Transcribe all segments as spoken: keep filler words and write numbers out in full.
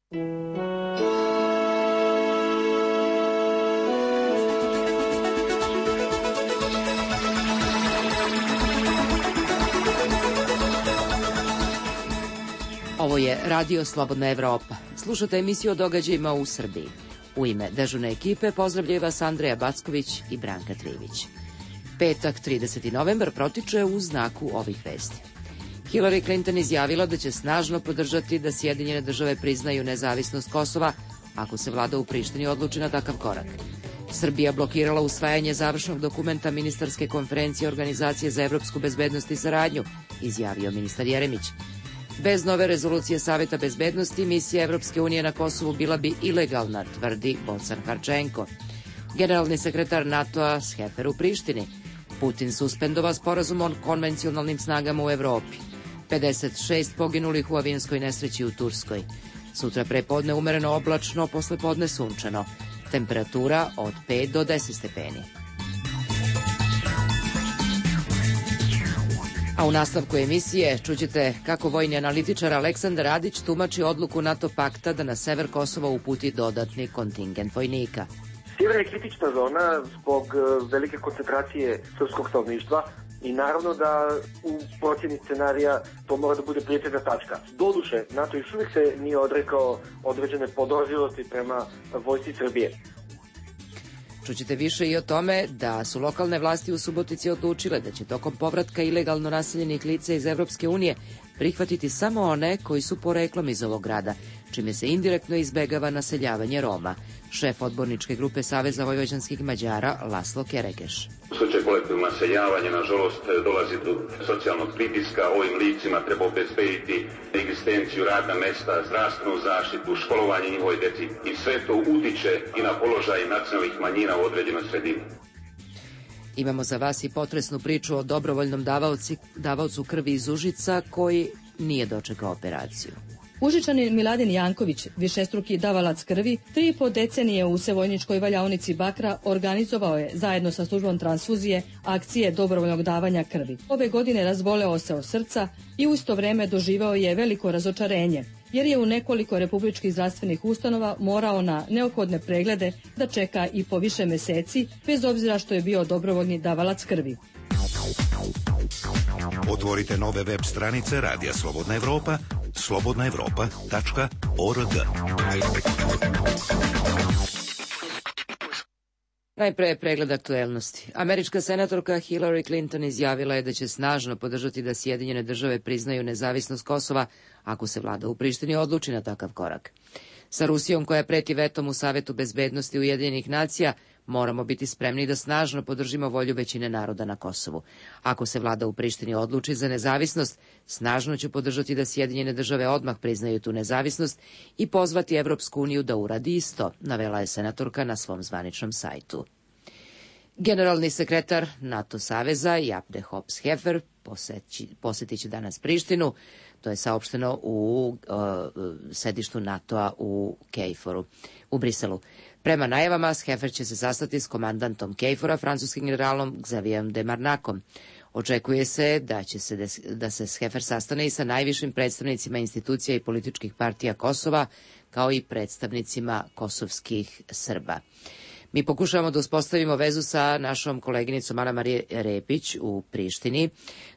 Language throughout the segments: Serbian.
Ovo je Radio Slobodna Evropa. Slušate emisiju o događajima u Srbiji. U ime dežurne ekipe pozdravljaju vas Andreja Backović i Branka Trivić. Petak, trideseti novembar, protiče u znaku ovih vesti. Hillary Clinton izjavila da će snažno podržati da Sjedinjene države priznaju nezavisnost Kosova ako se vlada u Prištini odluči na takav korak. Srbija blokirala usvajanje završnog dokumenta ministarske konferencije Organizacije za evropsku bezbednost i saradnju, izjavio ministar Jeremić. Bez nove rezolucije Saveta bezbednosti, misija Evropske unije na Kosovu bila bi ilegalna, tvrdi Bocan Harčenko. Generalni sekretar NATO-a Schaeffer u Prištini. Putin suspendova sporazum o konvencionalnim snagama u Evropi. pedeset šest poginulih u avionskoj nesreći u Turskoj. Sutra prepodne umereno oblačno, posle podne sunčano. Temperatura od pet do deset stepeni. A u nastavku emisije čućete kako vojni analitičar Aleksandar Radić tumači odluku NATO pakta da na sever Kosova uputi dodatni kontingent vojnika. Sjever je kritična zona zbog velike koncentracije srpskog stanovništva i naravno da u procjeni scenarija to mora da bude prioritetna tačka. Doduše, NATO još uvijek se nije odrekao određene podozrivosti prema vojsci Srbije. Čućete više i o tome da su lokalne vlasti u Subotici odlučile da će tokom povratka ilegalno naseljenih lica iz Evropske unije prihvatiti samo one koji su poreklom iz ovog grada, čime se indirektno izbegava naseljavanje Roma. Šef odborničke grupe Saveza vojvođanskih Mađara Laslo Kerekeš. U slučaju kolektivnog naseljavanja, nažalost, dolazi do socijalnog pritiska. Ovim licima treba obezbediti egzistenciju, radna mesta, zdravstvenu zaštitu, školovanje njihove deci i sve to utiče i na položaj nacionalnih manjina u određenoj sredini. Imamo za vas i potresnu priču o dobrovoljnom davaoci, davaocu krvi iz Užica koji nije dočekao operaciju. Užičanin Miladin Janković, višestruki davalac krvi, tri i po decenije u Sevojničkoj valjaonici Bakra organizovao je, zajedno sa službom transfuzije, akcije dobrovoljnog davanja krvi. Ove godine razboleo se od srca i u isto vreme doživao je veliko razočarenje, jer je u nekoliko republičkih zdravstvenih ustanova morao na neophodne preglede da čeka i po više meseci, bez obzira što je bio dobrovoljni davalac krvi. Otvorite nove web stranice Radija Slobodna Evropa, slobodna evropa tačka org. Najpre pregled aktuelnosti. Američka senatorka Hillary Clinton izjavila je da će snažno podržati da Sjedinjene države priznaju nezavisnost Kosova ako se vlada u Prištini odluči na takav korak. Sa Rusijom koja preti vetom u Savetu bezbednosti Ujedinjenih nacija, moramo biti spremni da snažno podržimo volju većine naroda na Kosovu. Ako se vlada u Prištini odluči za nezavisnost, snažno ću podržati da Sjedinjene države odmah priznaju tu nezavisnost i pozvati Evropsku uniju da uradi isto, navela je senatorka na svom zvaničnom sajtu. Generalni sekretar NATO saveza Jaap de Hoop Scheffer posetit će danas Prištinu. To je saopšteno u uh, sedištu NATO-a u Kejforu, u Briselu. Prema najavama, Scheffer će se sastati s komandantom Kejfora, francuskim generalom Xavierom de Marnakom. Očekuje se da će se des, da se Scheffer sastane i sa najvišim predstavnicima institucija i političkih partija Kosova, kao i predstavnicima kosovskih Srba. Mi pokušavamo da uspostavimo vezu sa našom koleginicom Ana Marije Repić u Prištini,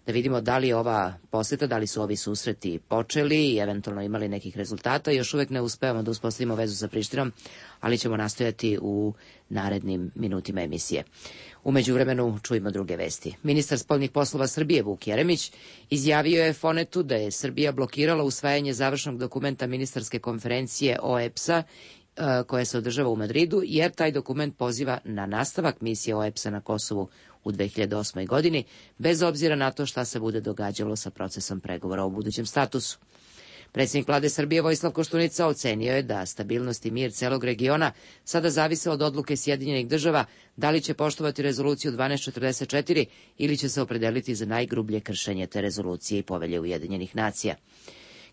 da vidimo da li je ova poseta, da li su ovi susreti počeli i eventualno imali nekih rezultata. Još uvek ne uspevamo da uspostavimo vezu sa Prištinom, ali ćemo nastojati u narednim minutima emisije. U međuvremenu čujemo druge vesti. Ministar spoljnih poslova Srbije Vuk Jeremić izjavio je Fonetu da je Srbija blokirala usvajanje završnog dokumenta ministarske konferencije O E P S-a koja se održava u Madridu, jer taj dokument poziva na nastavak misije O E P S-a na Kosovu u dve hiljade osmoj. godini, bez obzira na to šta se bude događalo sa procesom pregovora o budućem statusu. Predsjednik vlade Srbije Vojislav Koštunica ocenio je da stabilnost i mir celog regiona sada zavise od odluke Sjedinjenih država da li će poštovati rezoluciju dvanaest četrdeset četiri ili će se opredeliti za najgrublje kršenje te rezolucije i povelje Ujedinjenih nacija.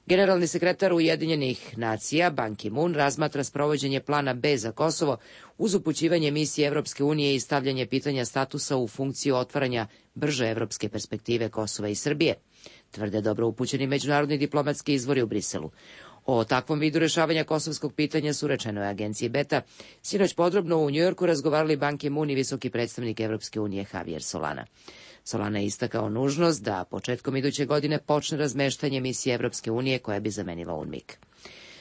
Generalni sekretar Ujedinjenih nacija Ban Ki-moon razmatra sprovođenje plana B za Kosovo uz upućivanje misije Evropske unije i stavljanje pitanja statusa u funkciju otvaranja brže evropske perspektive Kosova i Srbije, tvrde dobro upućeni međunarodni diplomatski izvori u Briselu. O takvom vidu rešavanja kosovskog pitanja su, rečeno je agenciji Beta, sinoć podrobno u Njujorku razgovarali Ban Ki-moon i visoki predstavnik Evropske unije Javier Solana. Solana je istakao nužnost da početkom iduće godine počne razmeštanje misije Evropske unije koja bi zamenila UNMIK.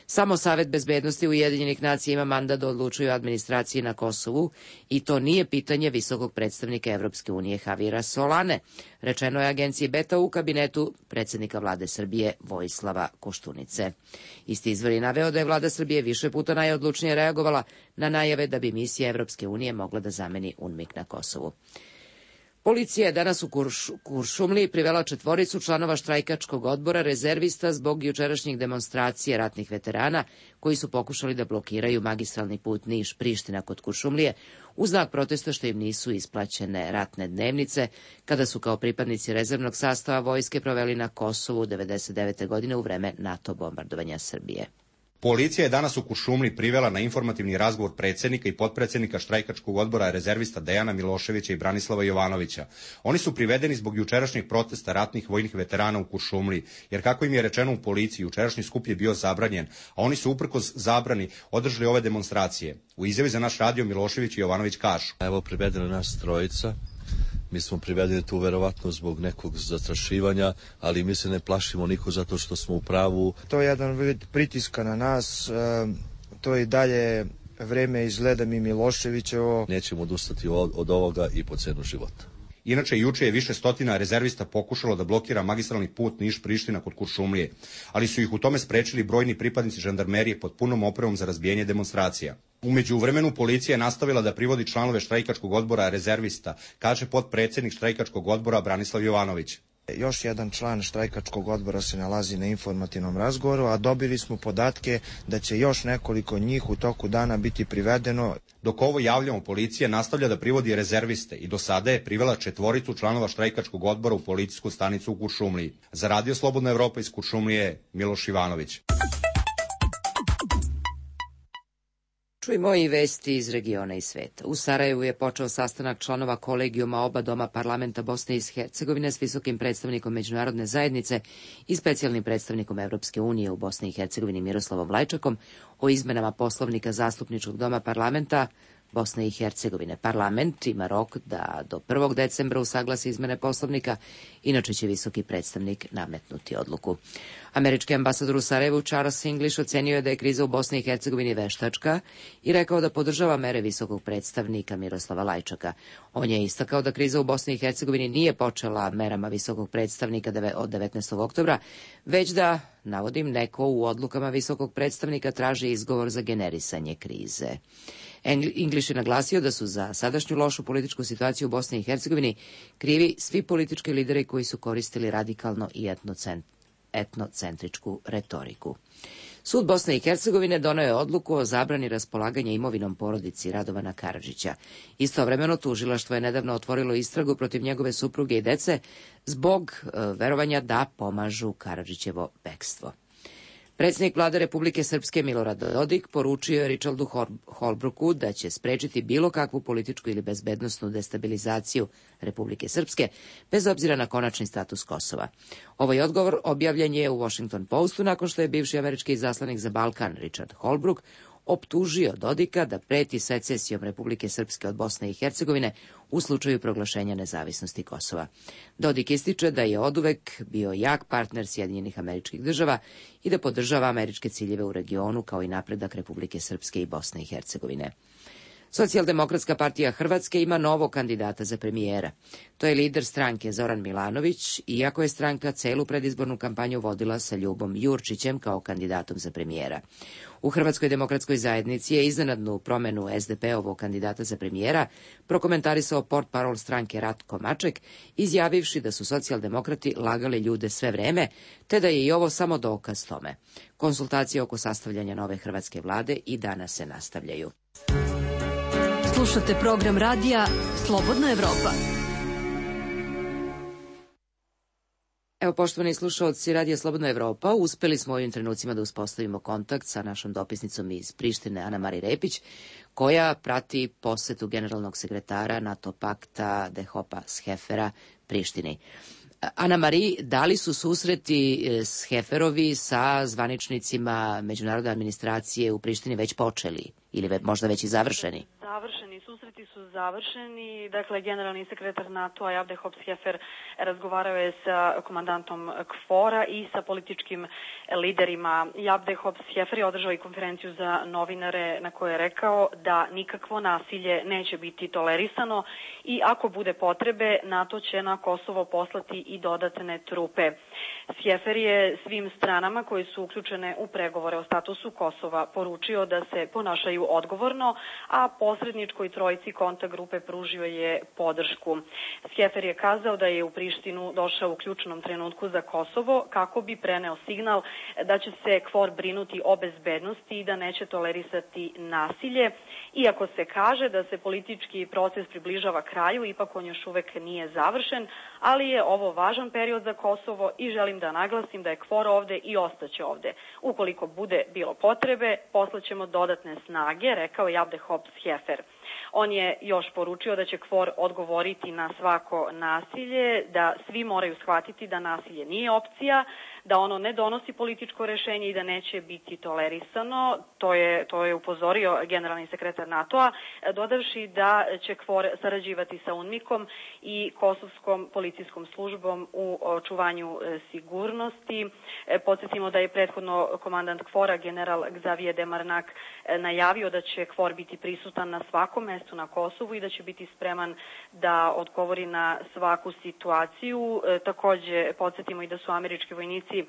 Samo Savet bezbednosti Ujedinjenih nacija ima mandat da odlučuje o administraciji na Kosovu i to nije pitanje visokog predstavnika Evropske unije Javiera Solane, rečeno je agenciji Beta u kabinetu predsjednika vlade Srbije Vojislava Koštunice. Isti izvor je naveo da je vlada Srbije više puta najodlučnije reagovala na najave da bi misija Evropske unije mogla da zameni UNMIK na Kosovu. Policija je danas u Kurš, Kuršumliji privela četvoricu članova štrajkačkog odbora rezervista zbog jučerašnjih demonstracije ratnih veterana koji su pokušali da blokiraju magistralni put Niš-Priština kod Kuršumlije u znak protesta što im nisu isplaćene ratne dnevnice kada su kao pripadnici rezervnog sastava vojske proveli na Kosovu devedeset devete godine u vreme NATO bombardovanja Srbije. Policija je danas u Kuršumliji privela na informativni razgovor predsjednika i potpredsjednika štrajkačkog odbora rezervista Dejana Miloševića i Branislava Jovanovića. Oni su privedeni zbog jučerašnjeg protesta ratnih vojnih veterana u Kuršumliji, jer kako im je rečeno u policiji, jučerašnji skup je bio zabranjen, a oni su uprkos zabrani održali ove demonstracije. U izjavi za naš radio Milošević i Jovanović kažu: Evo, privedena nas trojica. Mi smo privedeni tu verovatno zbog nekog zastrašivanja, ali mi se ne plašimo niko zato što smo u pravu. To je jedan vid pritiska na nas, to je i dalje vreme izgleda mi Miloševićevo. Nećemo odustati od, od ovoga i po cenu života. Inače, juče je više stotina rezervista pokušalo da blokira magistralni put Niš-Priština kod Kuršumlije, ali su ih u tome sprečili brojni pripadnici žandarmerije pod punom opremom za razbijanje demonstracija. U međuvremenu policija je nastavila da privodi članove štrajkačkog odbora rezervista, kaže potpredsjednik štrajkačkog odbora Branislav Jovanović. Još jedan član štrajkačkog odbora se nalazi na informativnom razgovoru, a dobili smo podatke da će još nekoliko njih u toku dana biti privedeno. Dok ovo javljamo, policija nastavlja da privodi rezerviste i do sada je privela četvoricu članova štrajkačkog odbora u policijsku stanicu u Kuršumliji. Za Radio Slobodna Evropa iz Kuršumlije, Miloš Ivanović. Čujmo i vesti iz regiona i sveta. U Sarajevu je počeo sastanak članova kolegijuma oba doma parlamenta Bosne i Hercegovine s visokim predstavnikom međunarodne zajednice i specijalnim predstavnikom Evropske unije u Bosni i Hercegovini Miroslavom Lajčakom o izmenama poslovnika zastupničkog doma parlamenta Bosne i Hercegovine. Parlament ima rok da do prvog decembra usaglasi izmene poslovnika, inače će visoki predstavnik nametnuti odluku. Američki ambasador u Sarajevu Charles English ocenio je da je kriza u Bosni i Hercegovini veštačka i rekao da podržava mere visokog predstavnika Miroslava Lajčaka. On je istakao da kriza u Bosni i Hercegovini nije počela merama visokog predstavnika od devetnaestog oktobra, već da, navodim, neko u odlukama visokog predstavnika traži izgovor za generisanje krize. English je naglasio da su za sadašnju lošu političku situaciju u Bosni i Hercegovini krivi svi politički lideri koji su koristili radikalno i etnocentričku retoriku. Sud Bosne i Hercegovine doneo je odluku o zabrani raspolaganja imovinom porodici Radovana Karadžića. Istovremeno tužilaštvo je nedavno otvorilo istragu protiv njegove supruge i dece zbog e, verovanja da pomažu Karadžićevo bekstvo. Predsjednik vlade Republike Srpske Milorad Dodik poručio je Richardu Holbrooku da će sprečiti bilo kakvu političku ili bezbednosnu destabilizaciju Republike Srpske, bez obzira na konačni status Kosova. Ovaj odgovor objavljen je u Washington Postu nakon što je bivši američki izaslanik za Balkan Richard Holbrooke optužio Dodika da preti secesijom Republike Srpske od Bosne i Hercegovine u slučaju proglašenja nezavisnosti Kosova. Dodik ističe da je oduvek bio jak partner Sjedinjenih Američkih Država i da podržava američke ciljeve u regionu kao i napredak Republike Srpske i Bosne i Hercegovine. Socijaldemokratska partija Hrvatske ima novog kandidata za premijera. To je lider stranke Zoran Milanović, iako je stranka celu predizbornu kampanju vodila sa Ljubom Jurčićem kao kandidatom za premijera. U Hrvatskoj demokratskoj zajednici je iznenadnu promenu es de pe-ovog kandidata za premijera prokomentarisao portparol stranke Ratko Maček, izjavivši da su socijaldemokrati lagali ljude sve vreme, te da je i ovo samo dokaz tome. Konsultacije oko sastavljanja nove hrvatske vlade i danas se nastavljaju. Slušate program radija Slobodna Evropa. Evo, poštovani slušaoci Radija Slobodna Evropa, uspeli smo u ovim trenucima da uspostavimo kontakt sa našom dopisnicom iz Prištine, Ana Mari Repić, koja prati posetu generalnog sekretara NATO pakta Dehopa Schefera Prištini. Ana Mari, da li su susreti s Heferovi sa zvaničnicima međunarodne administracije u Prištini već počeli ili možda već i završeni? Završeni, susreti su završeni. Dakle, generalni sekretar NATO-a Javde Hops-Hefer razgovarao je sa komandantom KFOR-a i sa političkim liderima. Javde Hops-Hefer je održao i konferenciju za novinare na kojoj je rekao da nikakvo nasilje neće biti tolerisano i ako bude potrebe, NATO će na Kosovo poslati i dodatne trupe. Hefer je svim stranama koji su uključene u pregovore o statusu Kosova poručio da se ponašaju odgovorno, a posredničkoj trojici kontakt grupe pružio je podršku. Hefer je kazao da je u Prištinu došao u ključnom trenutku za Kosovo kako bi preneo signal da će se KFOR brinuti o bezbednosti i da neće tolerisati nasilje. Iako se kaže da se politički proces približava kraju, ipak on još uvek nije završen, ali je ovo važan period za Kosovo i želim da naglasim da je KFOR ovde i ostaće ovde. Ukoliko bude bilo potrebe, poslaćemo dodatne snage, rekao je Javde Hops-Hefer. On je još poručio da će KFOR odgovoriti na svako nasilje, da svi moraju shvatiti da nasilje nije opcija, da ono ne donosi političko rešenje i da neće biti tolerisano. To je, to je upozorio generalni sekretar NATO-a, dodavši da će KFOR sarađivati sa UNMIK-om i Kosovskom policijskom službom u očuvanju sigurnosti. Podsjetimo da je prethodno komandant KFOR-a, general Xavier Demarnak, najavio da će KFOR biti prisutan na svakom mestu na Kosovu i da će biti spreman da odgovori na svaku situaciju. Takođe, podsjetimo i da su američki vojnici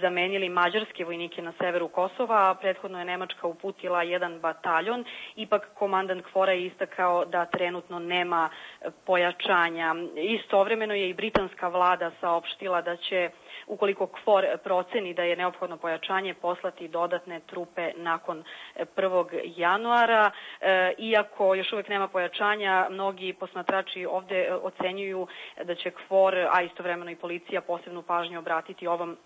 zamenili mađarske vojnike na severu Kosova, a prethodno je Nemačka uputila jedan bataljon. Ipak komandant KFOR-a je istakao da trenutno nema pojačanja. Istovremeno je i britanska vlada saopštila da će, ukoliko KFOR proceni da je neophodno pojačanje, poslati dodatne trupe nakon prvog januara. Iako još uvek nema pojačanja, mnogi posmatrači ovde ocenjuju da će KFOR, a istovremeno i policija, posebnu pažnju obratiti ovom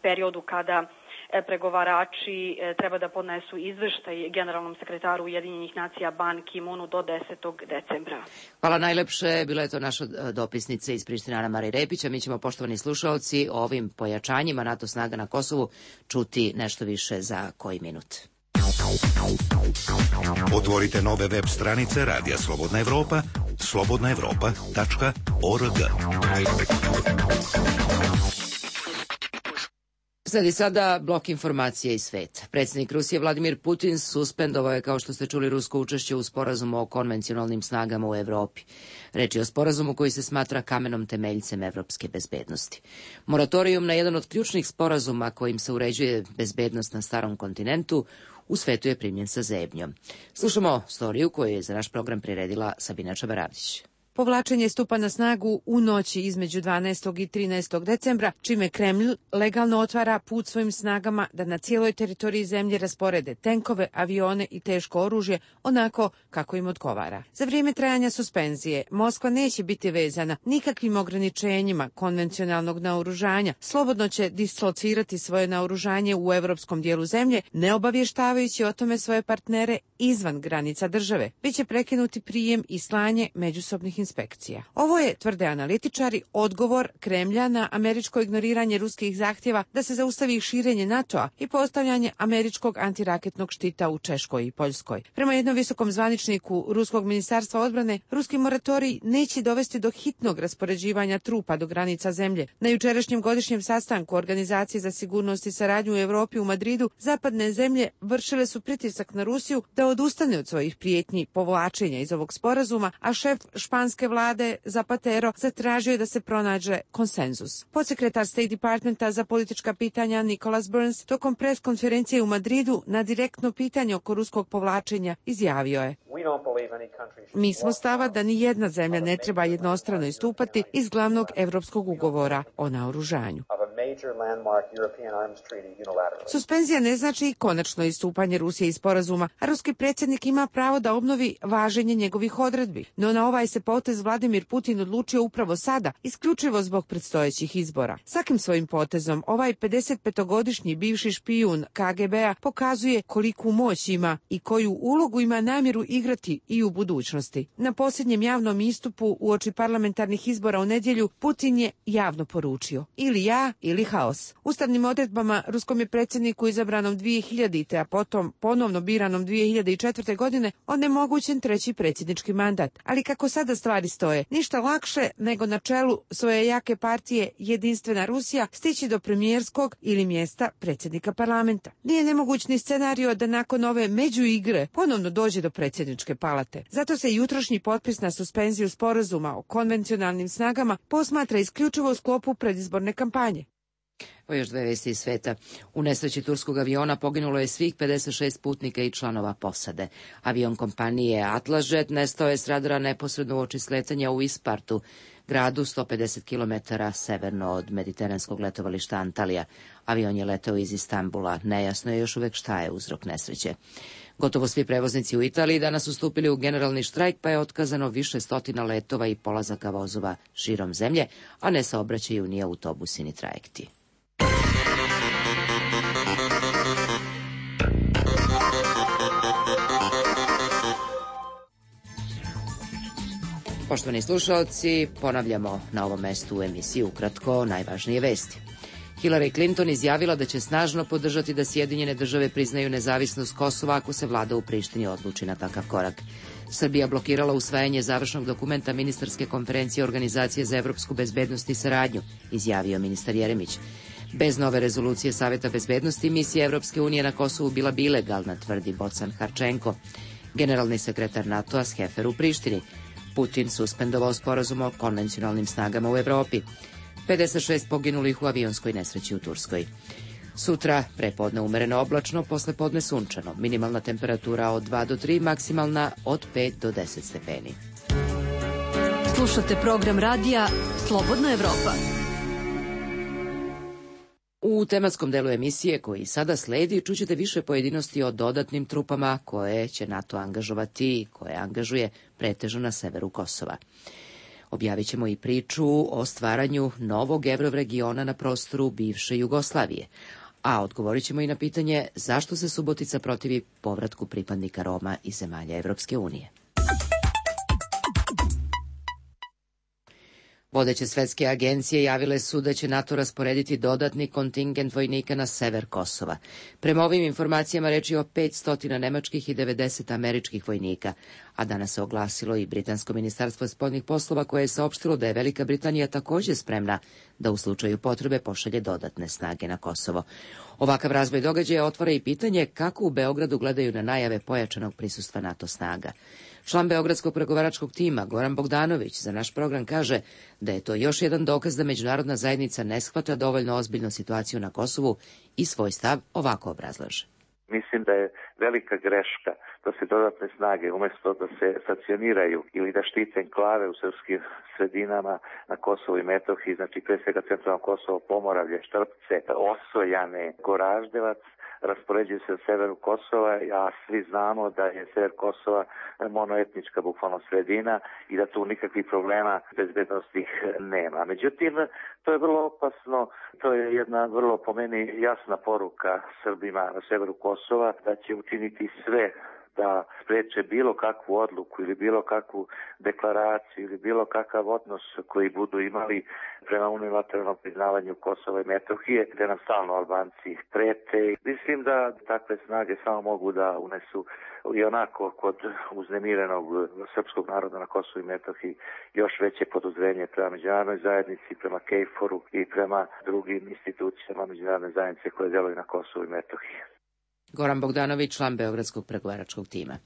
periodu kada pregovarači treba da podnesu izveštaj generalnom sekretaru Ujedinjenih nacija Ban Ki-moonu do desetog decembra. Hvala najlepše. Bila je to naša dopisnica iz Prištine Ana Mari Repić, a mi ćemo, poštovani slušaoci, o ovim pojačanjima NATO snaga na Kosovu čuti nešto više za koji minut. Otvorite nove web stranice Radija Slobodna Evropa, slobodna evropa tačka org. Sledi sada blok informacije iz sveta. Predsjednik Rusije Vladimir Putin suspendovao je, kao što ste čuli, rusko učešće u sporazumu o konvencionalnim snagama u Evropi. Reč je o sporazumu koji se smatra kamenom temeljcem evropske bezbednosti. Moratorijum na jedan od ključnih sporazuma kojim se uređuje bezbednost na starom kontinentu u svetu je primljen sa zebnjom. Slušamo storiju koju je za naš program priredila Sabina Čabaravdić. Povlačenje stupa na snagu u noći između dvanaestog i trinaestog decembra, čime Kremlj legalno otvara put svojim snagama da na cijeloj teritoriji zemlje rasporede tenkove, avione i teško oružje onako kako im odgovara. Za vrijeme trajanja suspenzije Moskva neće biti vezana nikakvim ograničenjima konvencionalnog naoružanja, slobodno će dislocirati svoje naoružanje u evropskom dijelu zemlje, ne obavještavajući o tome svoje partnere izvan granica države. Biće prekinuti prijem i slanje međusobnih inspekcija. Ovo je, tvrde analitičari, odgovor Kremlja na američko ignoriranje ruskih zahtjeva da se zaustavi širenje NATO-a i postavljanje američkog antiraketnog štita u Češkoj i Poljskoj. Prema jednom visokom zvaničniku Ruskog ministarstva odbrane, ruski moratorij neće dovesti do hitnog raspoređivanja trupa do granica zemlje. Na jučerašnjem godišnjem sastanku Organizacije za sigurnost i saradnju u Europi u Madridu, zapadne zemlje vršile su pritisak na Rusiju da odustane od svojih prijetnji povlačenja iz ovog sporazuma, a šef španske vlade Zapatero zatražio da se pronađe konsenzus. Podsekretar State Departmenta za politička pitanja Nicholas Burns tokom pres konferencije u Madridu na direktno pitanje oko ruskog povlačenja izjavio je: Mi smo stava da ni jedna zemlja ne treba jednostrano istupati iz glavnog evropskog ugovora o naoružanju. Suspenzija ne znači konačno istupanje Rusije iz sporazuma, a ruski predsjednik ima pravo da obnovi važenje njegovih odredbi. No na ovaj se potez Vladimir Putin odlučio upravo sada, isključivo zbog predstojećih izbora. Svakim svojim potezom ovaj pedesetpetogodišnji bivši špijun K G B-a pokazuje koliku moć ima i koju ulogu ima namjeru igrati i u budućnosti. Na posljednjem javnom istupu uoči parlamentarnih izbora u nedjelju Putin je javno poručio: ili ja ili haos. Ustavnim odredbama ruskom je predsjedniku izabranom dvije hiljadite. a potom ponovno biranom dvije hiljade četvrte. godine onemogućen treći predsjednički mandat. Ali kako sada stvari stoje, ništa lakše nego na čelu svoje jake partije Jedinstvena Rusija stići do premijerskog ili mjesta predsjednika parlamenta. Nije nemoguć ni scenario da nakon ove međuigre ponovno dođe do predsjedničke palate. Zato se jutrošnji potpis na suspenziju sporazuma o konvencionalnim snagama posmatra isključivo u sklopu predizborne kampanje. O još dve vesti iz sveta. U nesreći turskog aviona poginulo je svih pedeset šest putnika i članova posade. Avion kompanije Atlasjet nestao je s radara neposredno uoči sletanja u Ispartu, gradu sto pedeset kilometara severno od mediteranskog letovališta Antalija. Avion je letao iz Istanbula. Nejasno je još uvek šta je uzrok nesreće. Gotovo svi prevoznici u Italiji danas su stupili u generalni štrajk, pa je otkazano više stotina letova i polazaka vozova širom zemlje, a ne saobraćaju ni autobusi ni trajekti. Poštovani slušalci, ponavljamo na ovom mestu u emisiji ukratko najvažnije vesti. Hillary Clinton izjavila da će snažno podržati da Sjedinjene države priznaju nezavisnost Kosova ako se vlada u Prištini odluči na takav korak. Srbija blokirala usvajanje završnog dokumenta ministarske konferencije Organizacije za evropsku bezbednost i saradnju, izjavio ministar Jeremić. Bez nove rezolucije Saveta bezbednosti misija Evropske unije na Kosovu bila bi ilegalna, tvrdi Bocan Harčenko. Generalni sekretar NATO-a Skefer u Prištini. Putin suspendovao sporazum o konvencionalnim snagama u Evropi. pedeset šest poginulih u avionskoj nesreći u Turskoj. Sutra prepodne umereno oblačno, posle podne sunčano. Minimalna temperatura od dva do tri, maksimalna od pet do deset stepeni. Slušate program radija Slobodna Evropa. U tematskom delu emisije koji sada sledi čućete više pojedinosti o dodatnim trupama koje će NATO angažovati i koje angažuje pretežno na severu Kosova. Objavit ćemo i priču o stvaranju novog evroregiona na prostoru bivše Jugoslavije, a odgovorit ćemo i na pitanje zašto se Subotica protivi povratku pripadnika Roma iz zemalja Evropske unije. Vodeće svetske agencije javile su da će NATO rasporediti dodatni kontingent vojnika na sever Kosova. Prema ovim informacijama reč je o petsto nemačkih i devedeset američkih vojnika, a danas se oglasilo i Britansko ministarstvo spoljnih poslova koje je saopštilo da je Velika Britanija također spremna da u slučaju potrebe pošalje dodatne snage na Kosovo. Ovakav razvoj događaja otvara i pitanje kako u Beogradu gledaju na najave pojačanog prisustva NATO snaga. Član Beogradskog pregovaračkog tima Goran Bogdanović za naš program kaže da je to još jedan dokaz da međunarodna zajednica ne shvata dovoljno ozbiljno situaciju na Kosovu i svoj stav ovako obrazlaže. Mislim da je velika greška da se dodatne snage, umjesto da se stacioniraju ili da štite enklave u srpskim sredinama na Kosovu i Metohiji, znači pre svega centralno Kosovo, Pomoravlje, Štrpce, Osojane, Goraždevac, raspoređuju se u severu Kosova, a svi znamo da je sever Kosova monoetnička bukvalno sredina i da tu nikakvih problema bezbednostnih nema. Međutim, to je vrlo opasno, to je jedna vrlo po meni jasna poruka Srbima na severu Kosova da će učiniti sve da spreče bilo kakvu odluku ili bilo kakvu deklaraciju ili bilo kakav odnos koji budu imali prema unilateralnom priznavanju Kosova i Metohije, gde nam stalno Albanci prete. Mislim da takve snage samo mogu da unesu i onako kod uznemirenog srpskog naroda na Kosovu i Metohiji još veće podozrenje prema međunarodnoj zajednici, prema KFOR-u i prema drugim institucijama međunarodne zajednice koje deluju na Kosovu i Metohiji. Goran Bogdanović, član Beogradskog pregovaračkog tima.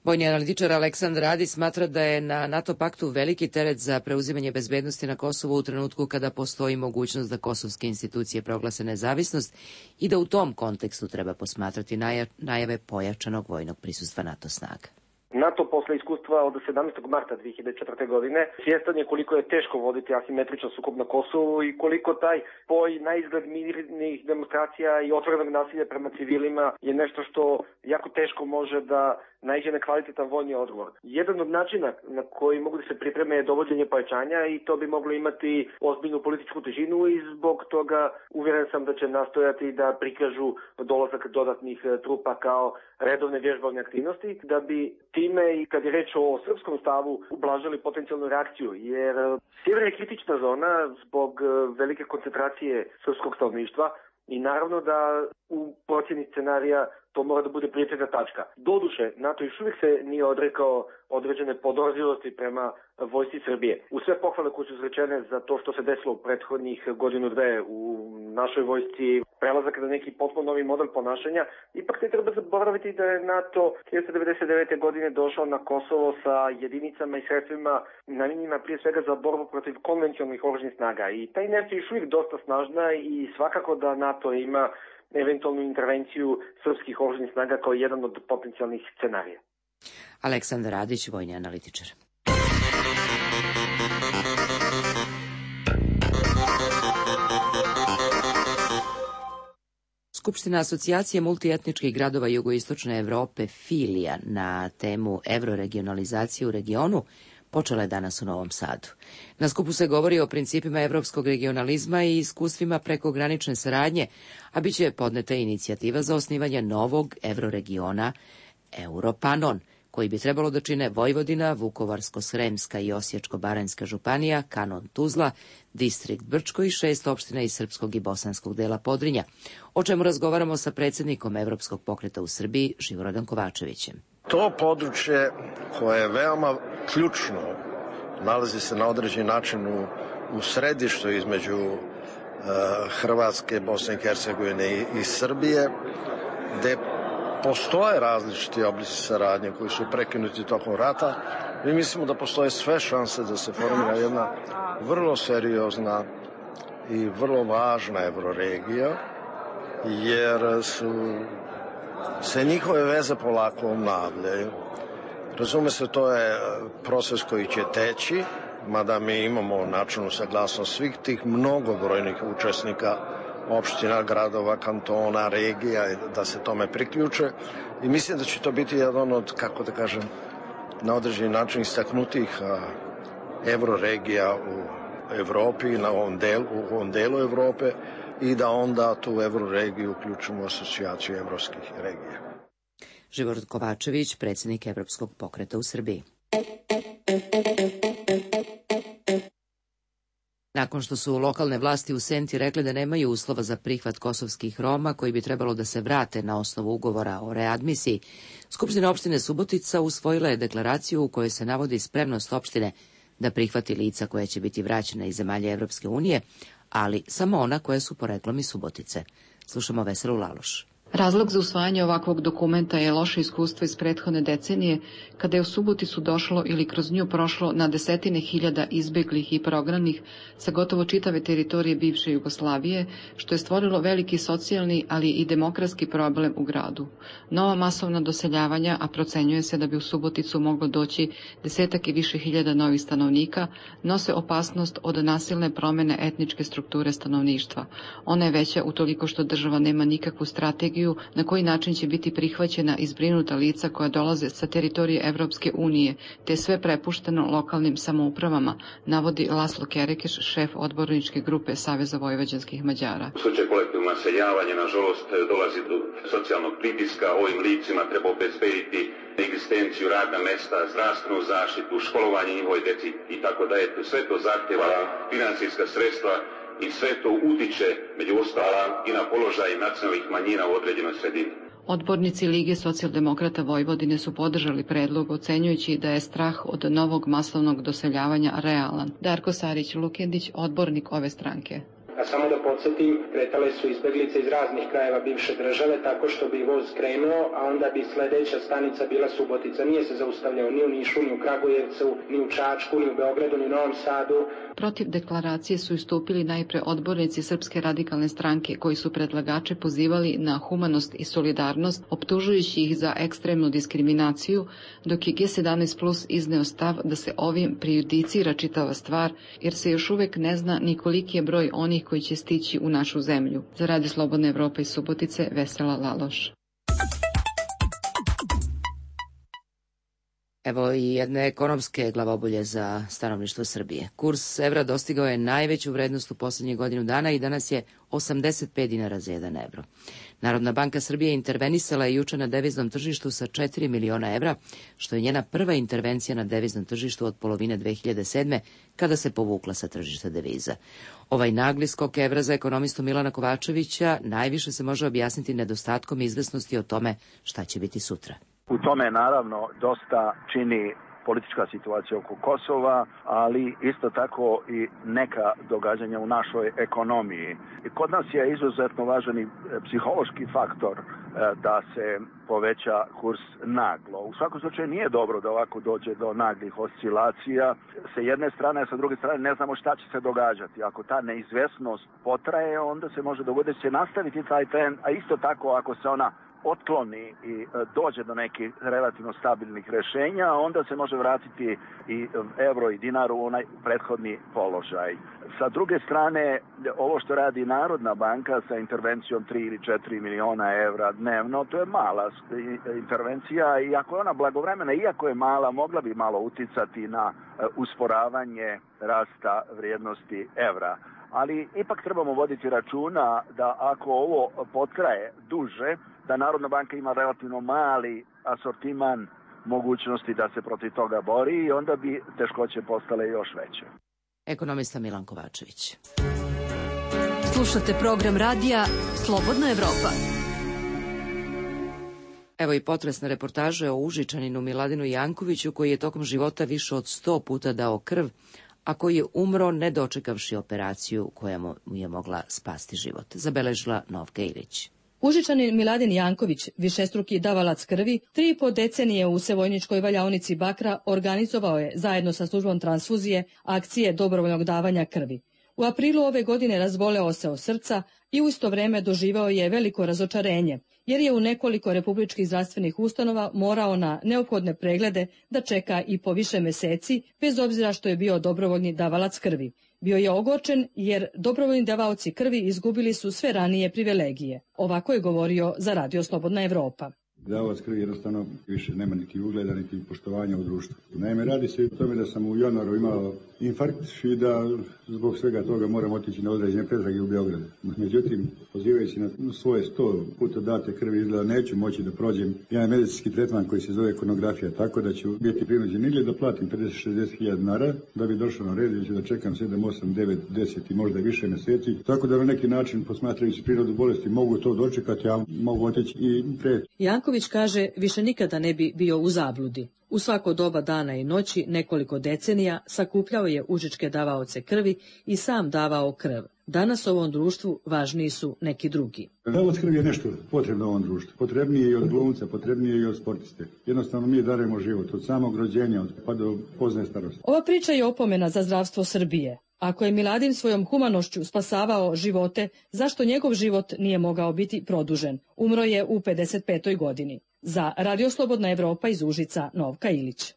Vojni analitičar Aleksandar Radi smatra da je na NATO paktu veliki teret za preuzimanje bezbednosti na Kosovu u trenutku kada postoji mogućnost da kosovske institucije proglase nezavisnost i da u tom kontekstu treba posmatrati najave pojačanog vojnog prisustva NATO snaga. NATO posle iskustva od sedamnaestog marta dve hiljade četvrte. godine svjestan je koliko je teško voditi asimetričan sukob na Kosovu i koliko taj spoj na izgled mirnih demonstracija i otvorenog nasilja prema civilima je nešto što jako teško može da naiđe na kvalitetan vojni odgovor. Jedan od načina na koji mogu da se pripreme je dovođenje pojačanja i to bi moglo imati ozbiljnu političku težinu i zbog toga uvjeren sam da će nastojati da prikažu dolazak dodatnih trupa kao redovne vježbovne aktivnosti, da bi time i kad je reč o srpskom stavu ublažili potencijalnu reakciju, jer sjever je kritična zona zbog velike koncentracije srpskog stanovništva i naravno da u procjeni scenarija to mora da bude prioritetna tačka. Doduše, NATO još uvijek se nije odrekao određene podozrivosti prema vojsci Srbije. U sve pohvale koje su izrečene za to što se desilo u prethodnih godinu dve u našoj vojsci, prelazak na neki potpuno novi model ponašanja, ipak ne treba zaboraviti da je NATO hiljadu devetsto devedeset devete. godine došao na Kosovo sa jedinicama i sredstvima namijenjenima prije svega za borbu protiv konvencionalnih oružanih snaga. I ta inercija je još uvijek dosta snažna i svakako da NATO ima eventualnu intervenciju srpskih oružanih snaga kao jedan od potencijalnih scenarija. Aleksandar Radić, vojni analitičar. Skupština asocijacije multietničkih gradova jugoistočne Evrope Filija na temu evroregionalizacije u regionu počela je danas u Novom Sadu. Na skupu se govori o principima evropskog regionalizma i iskustvima prekogranične saradnje, a bit će podneta inicijativa za osnivanje novog evroregiona Europanon, koji bi trebalo da čine Vojvodina, Vukovarsko-Sremska i Osječko-Baranjska županija, Kanon Tuzla, Distrikt Brčko i šest opština iz srpskog i bosanskog dela Podrinja, o čemu razgovaramo sa predsjednikom Evropskog pokreta u Srbiji, Živorodom Kovačevićem. To područje koje je veoma ključno, nalazi se na određen način u, u središtu između e, Hrvatske, Bosne i Hercegovine i, i Srbije, gde postoje različiti oblici saradnje koji su prekinuti tokom rata. Mi mislimo da postoje sve šanse da se formira jedna vrlo seriozna i vrlo važna evroregija, jer su se njihove veze polako obnavljaju. Razume se, to je proces koji će teći, mada mi imamo načelnu saglasnost svih tih mnogobrojnih učesnika, opština, gradova, kantona, regija, da se tome priključe. I mislim da će to biti jedan od, kako da kažem, na određeni način istaknutih evroregija u Evropi, na ovom delu, u ovom delu Evrope, i da onda tu evroregiju uključimo u asocijaciju evropskih regija. Živorod Kovačević, predsjednik Evropskog pokreta u Srbiji. Nakon što su lokalne vlasti u Senti rekli da nemaju uslova za prihvat kosovskih Roma koji bi trebalo da se vrate na osnovu ugovora o readmisiji, Skupština opštine Subotica usvojila je deklaraciju u kojoj se navodi spremnost opštine da prihvati lica koja će biti vraćena iz zemalja Evropske unije, ali samo ona koja su poreklom iz Subotice. Slušamo Veselu Laloš. Razlog za usvajanje ovakvog dokumenta je loše iskustvo iz prethodne decenije, kada je u Suboticu došlo ili kroz nju prošlo na desetine hiljada izbeglih i prognanih sa gotovo čitave teritorije bivše Jugoslavije, što je stvorilo veliki socijalni, ali i demokratski problem u gradu. Nova masovna doseljavanja, a procenjuje se da bi u Suboticu moglo doći desetak i više hiljada novih stanovnika, nose opasnost od nasilne promene etničke strukture stanovništva. Ona je veća utoliko što država nema nikakvu strategiju na koji način će biti prihvaćena i zbrinuta lica koja dolaze sa teritorije Evropske unije, te sve prepušteno lokalnim samoupravama, navodi Laslo Kerekeš, šef odborničke grupe Saveza vojvođanskih Mađara. U slučaju kolektivnog naseljavanja, nažalost, dolazi do socijalnog pritiska. Ovim licima treba obezbediti egzistenciju, radna mesta, zdravstvenu zaštitu, školovanje njihove deci i tako da je sve to zahtjeva financijska sredstva. I sve to utiče, među ostalim, i na položaj nacionalnih manjina u određenoj sredini. Odbornici Lige socijaldemokrata Vojvodine su podržali predlog, ocenjujući da je strah od novog masovnog doseljavanja realan. Darko Sarić Lukendić, odbornik ove stranke. A samo da podsjetim, kretale su izbeglice iz raznih krajeva bivše države tako što bi voz krenuo, a onda bi sledeća stanica bila Subotica. Nije se zaustavljao ni u Nišu, ni u Kragujevcu, ni u Čačku, ni u Beogradu, ni u Novom Sadu. Protiv deklaracije su istupili najpre odbornici Srpske radikalne stranke koji su predlagače pozivali na humanost i solidarnost, optužujući ih za ekstremnu diskriminaciju, dok je G sedamnaest plus izneo stav da se ovim prejudicira čitava stvar, jer se još uvek ne zna ni koliki je broj onih koji će stići u našu zemlju. Za Radio Slobodna Evropa iz Subotice, Vesela Laloš. Evo i jedne ekonomske glavobolje za stanovništvo Srbije. Kurs evra dostigao je najveću vrednost u poslednjih godinu dana i danas je osamdeset pet dinara za jedan evro. Narodna banka Srbije intervenisala je juče na deviznom tržištu sa četiri miliona evra, što je njena prva intervencija na deviznom tržištu od polovine dve hiljade sedme. kada se povukla sa tržišta deviza. Ovaj nagli skok evra za ekonomistu Milana Kovačevića najviše se može objasniti nedostatkom izvesnosti o tome šta će biti sutra. U tome naravno dosta čini politička situacija oko Kosova, ali isto tako i neka događanja u našoj ekonomiji. I kod nas je izuzetno važan i psihološki faktor da se poveća kurs naglo. U svakom slučaju nije dobro da ovako dođe do naglih oscilacija. Sa jedne strane, a sa druge strane ne znamo šta će se događati. Ako ta neizvesnost potraje, onda se može dogoditi da će nastaviti taj trend, a isto tako ako se ona otkloni i dođe do nekih relativno stabilnih rešenja, onda se može vratiti i evro i dinar u onaj prethodni položaj. Sa druge strane, ovo što radi Narodna banka sa intervencijom tri ili četiri miliona evra dnevno, to je mala intervencija i ako je ona blagovremena, iako je mala, mogla bi malo uticati na usporavanje rasta vrijednosti evra. Ali ipak trebamo voditi računa da ako ovo potraje duže, da Narodna banka ima relativno mali asortiman mogućnosti da se protiv toga bori i onda bi teškoće postale još veće. Ekonomista Milan Kovačević. Slušate program radija Slobodna Evropa. Evo i potresna reportaža o Užičaninu Miladinu Jankoviću koji je tokom života više od sto puta dao krv, a koji je umro ne dočekavši operaciju koja mu je mogla spasti život, zabeležila Novka Ilić. Užičanin Miladin Janković, višestruki davalac krvi, tri i po decenije u Sevojničkoj valjaonici Bakra organizovao je, zajedno sa službom transfuzije, akcije dobrovoljnog davanja krvi. U aprilu ove godine razboleo se od srca i u isto vreme doživao je veliko razočarenje, jer je u nekoliko republičkih zdravstvenih ustanova morao na neophodne preglede da čeka i po više meseci, bez obzira što je bio dobrovoljni davalac krvi. Bio je ogorčen jer dobrovoljni davaoci krvi izgubili su sve ranije privilegije. Ovako je govorio za Radio Slobodna Evropa. Davalac krvi jednostavno više nema niti ugleda, niti poštovanja u društvu. Naime, radi se o tome da sam u januaru imao infarkt i da zbog svega toga moram otići na određene pretrage u Beogradu. Međutim, pozivajući na svoje sto puta date krvi, izgleda neću moći da prođem jedan medicinski tretman koji se zove konografija, tako da ću biti prinuđen ili da platim pedeset do šezdeset hiljada dinara da bi došao na red, ili ću da čekam sedam, osam, devet, deset i možda više meseci. Tako da na neki način, posmatrajući prirodu bolesti, mogu to dočekati, a mogu otići i pre. Janković kaže više nikada ne bi bio u zabludi. U svako doba dana i noći, nekoliko decenija, sakupljao je užičke davaoce krvi i sam davao krv. Danas u ovom društvu važniji su neki drugi. Davalac krvi je nešto potrebno u ovom društvu. Potrebnije i od glumca, potrebnije i od sportiste. Jednostavno mi darujemo život od samog rođenja pa do pozne starosti. Ova priča je opomena za zdravstvo Srbije. Ako je Miladin svojom humanošću spasavao živote, zašto njegov život nije mogao biti produžen? Umro je u pedeset petoj godini. Za Radio Slobodna Evropa iz Užica, Novka Ilić.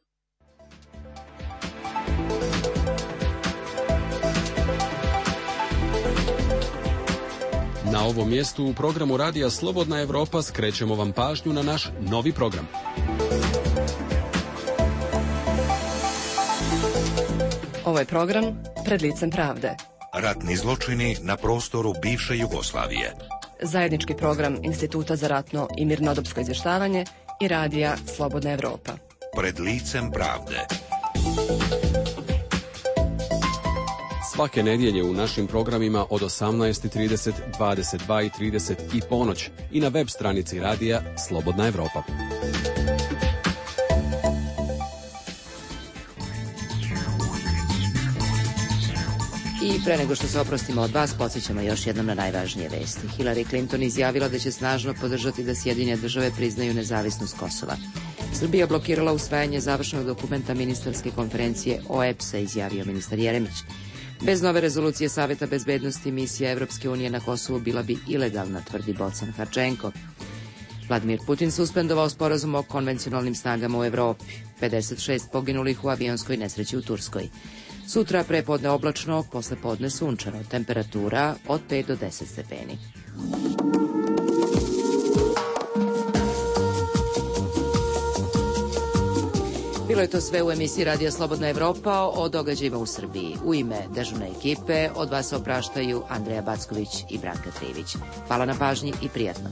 Na ovom mjestu u programu Radija Slobodna Evropa skrećemo vam pažnju na naš novi program. Ovo je program Pred licem pravde. Ratni zločini na prostoru bivše Jugoslavije. Zajednički program Instituta za ratno i mirnodopsko izvještavanje i Radija Slobodna Evropa. Pred licem pravde. Svake nedjelje u našim programima od osamnaest i trideset, dvadeset dva i trideset i ponoć i na web stranici Radija Slobodna Evropa. I pre nego što se oprostimo od vas, podsjećamo još jednom na najvažnije vesti. Hillary Clinton izjavila da će snažno podržati da Sjedinjene države priznaju nezavisnost Kosova. Srbija blokirala usvajanje završnog dokumenta ministarske konferencije O E B S-a, izjavio ministar Jeremić. Bez nove rezolucije Saveta bezbednosti misija Evropske unije na Kosovu bila bi ilegalna, tvrdi Bocan Harčenko. Vladimir Putin suspendovao sporazum o konvencionalnim snagama u Evropi. pedeset šest poginulih u avionskoj nesreći u Turskoj. Sutra prepodne oblačno, posle podne sunčano. Temperatura od pet do deset stepeni. Bilo je to sve u emisiji Radija Slobodna Evropa o događajima u Srbiji. U ime dežurne ekipe od vas opraštaju Andreja Backović i Branka Trivić. Hvala na pažnji i prijatno.